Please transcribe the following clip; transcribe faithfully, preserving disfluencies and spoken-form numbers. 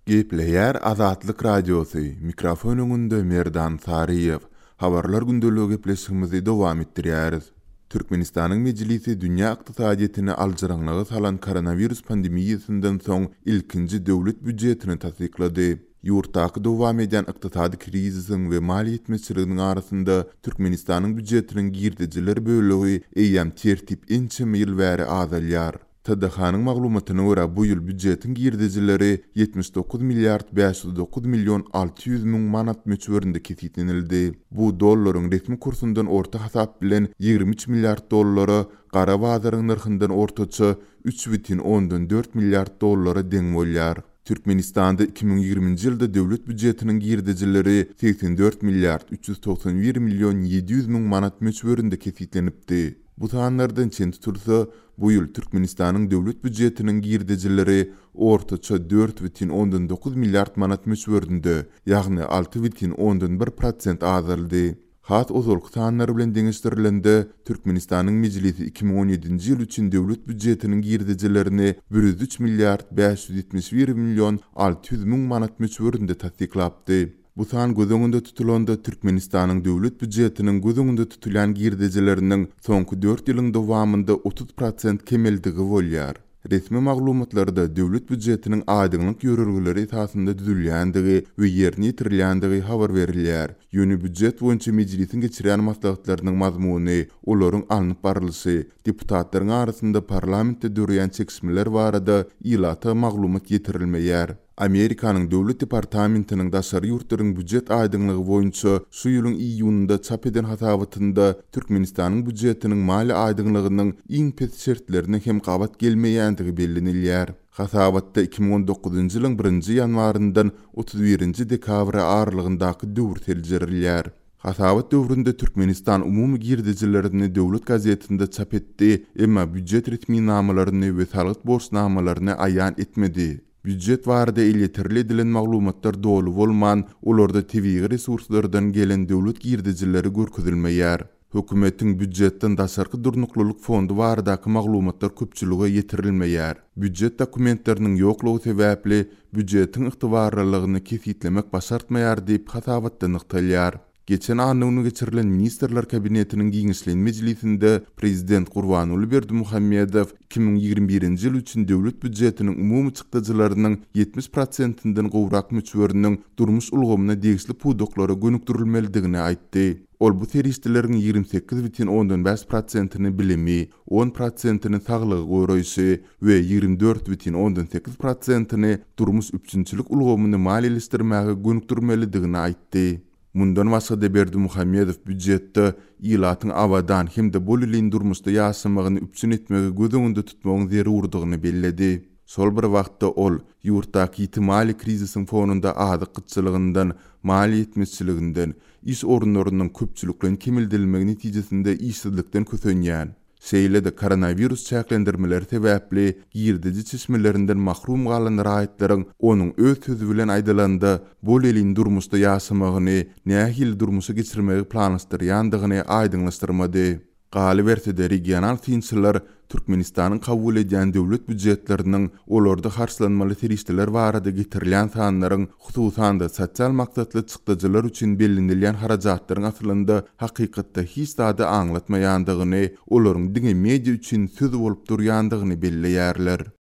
Gepleýär Azatlyk Radiosy, mikrofon öňünde Merdan Saryýew. Habarlar gündeligi gepleşigimizi dowam etdirýäris. Türkmenistanyň Mejlisi dünýä ykdysadyýetini aljyraňňylyga salan koronawirus pandemiýasyndan soň ilkinji döwlet býujetini tassyklady. Ýurtdaky dowam edýän ykdysady krizisiň we maliýe ýetmezçiliginiň arasynda Türkmenistanyň býujetiniň girdejiler bölegi eýýäm tertip ençeme ýyl bäri azalýar. T D H-nyň maglumatyna görä, bu ýyl býujetiň girdejileri ýetmiş dokuz milliard bäş ýüz dokuz million alty ýüz müň manat möçberinde kesgitlenildi. Bu dollaryň resmi kursundan orta hasap bilen ýigrimi üç milliard dollara, gara bazaryň nyrhyndan ortaça üç bütin ondan dört milliard dollara deň bolýar. Türkmenistanda iki müň ýigriminji ýylda döwlet býujetiniň girdejileri segsen dört milliard üç ýüz togsan bir million ýedi ýüz müň manat möçberinde kesgitlenipdi. Bu sanlardan çen tutulsa, bu ýyl Türkmenistanyň döwlet býujetiniň girdejileri ortaça dört bütin ondan dokuz milliard manat möçberinde, ýagny alty bütin ondan bir prosent azaldy. Has ozalky sanlar bilen deňeşdirilende, Türkmenistanyň Mejlisi iki müň on ýedinji ýyl üçin döwlet býujetiniň girdejilerini bir ýüz üç milliard bäş ýüz ýetmiş bir million alty ýüz müň manat möçberinde tassyklapdy. Bu san göz öňünde tutulanda Türkmenistanyň döwlet býujetiniň göz öňünde tutulýan girdejileriniň soňky dört ýylyň dowamynda otuz prosent kemeldigi bolýar. Resmi maglumatlarda döwlet býujetiniň aýdyňlyk ýörelgeleri esasynda düzülýändigi we ýerine ýetirilýändigi habar berilýär. Ýöne býujet boýunça mejlisiň geçirýän maslahatlarynyň mazmuny, olaryň alnyp barlyşy, deputatlaryň arasynda parlamentde döreýän çekişmeler barada ilata maglumat ýetirilmeýär. Amerikanyň Döwlet departamentiniň daşary ýurtlaryň býujet aýdyňlygy boýunça şu ýylyň iýunynda çap eden hasabatynda Türkmenistanyň býujetiniň maliýe aýdyňlygynyň iň pes şertlerine hem gabat gelmeýändigi bellenilýär. Hasabatda iki müň on dokuzynjy ýylyň birinji ýanwaryndan otuz birinji dekabra aralygyndaky döwür seljerilýär. Hasabat döwründe Türkmenistan umumy girdejilerini döwlet gazetinde çap etdi, emma býujet resminamalaryny we salgyt borçnamalaryny aýan etmedi. Býujet barada elýeterli edilen maglumatlar doly bolman, olarda tebigy resurslardan gelen döwlet girdejileri görkezilmeýär. Hökümetiň býujetden daşarky durnuklylyk fondy baradaky maglumatlar köpçülige ýetirilmeýär. Býujet dokumentleriniň ýoklugy sebäpli býujetiň ygtybarlylygyny kesgitlemek başartmaýar diýip hasabatda nygtalýar. Geçen anna güni geçirilen Ministrler Kabinetiniň giňişleýin mejlisinde Prezident Gurbanguly Berdimuhamedow iki müň ýigrimi birinji ýyl üçin döwlet býujetiniň umumy çykdajylarynyň ýetmiş prosentinden gowrak möçberiniň durmuş ulgamyna degişli pudaklara gönükdirilmelidigini aýtdy. Ol bu serişdeleriň ýigrimi sekiz bütin ondan bäş prosentini bilimi, on prosentini saglygy goraýşy we ýigrimi dört bütin ondan sekiz prosentini durmuş üpjünçilik ulgamyny maliýeleşdirmäge gönükdirmelidigini aýtdy. Mundan başga-da Berdimuhamedow býujetde ilatyň abadan hem-de bolelin durmuşda ýaşamagyny üpjün etmegi göz öňünde tutmagyň zerurdygyny belledi. Şol bir wagtda ol ýurtdaky ýiti maliýe krizisiň fonunda azyk gytçylygyndan, maliýe ýetmezçiliginden, iş orunlarynyň köpçülikleýin kemeldilmegi netijesinde işsizlikden kösenýän, şeýle-de koronawirus çäklendirmeleri sebäpli girdeji çeşmelerinden mahrum galan raýatlaryň onuň öz sözi bilen aýdylanda bolelin durmuşda ýaşamagyny, nähili durmuşa geçirmegi planlaşdyrýandygyny aýdyňlaşdyrmady. Galyberse-de regional synçylar Türkmenistanyň kabul edýän döwlet býujetleriniň olarda harçlanmaly serişdeler barada getirilýän sanlaryň, hususan-da sosial maksatly çykdajylar üçin bellenilýän harajatlaryň aslynda hakykatda hiç zady aňlatmaýandygyny, olaryň diňe media üçin söz bolup durýandygyny belleýärler.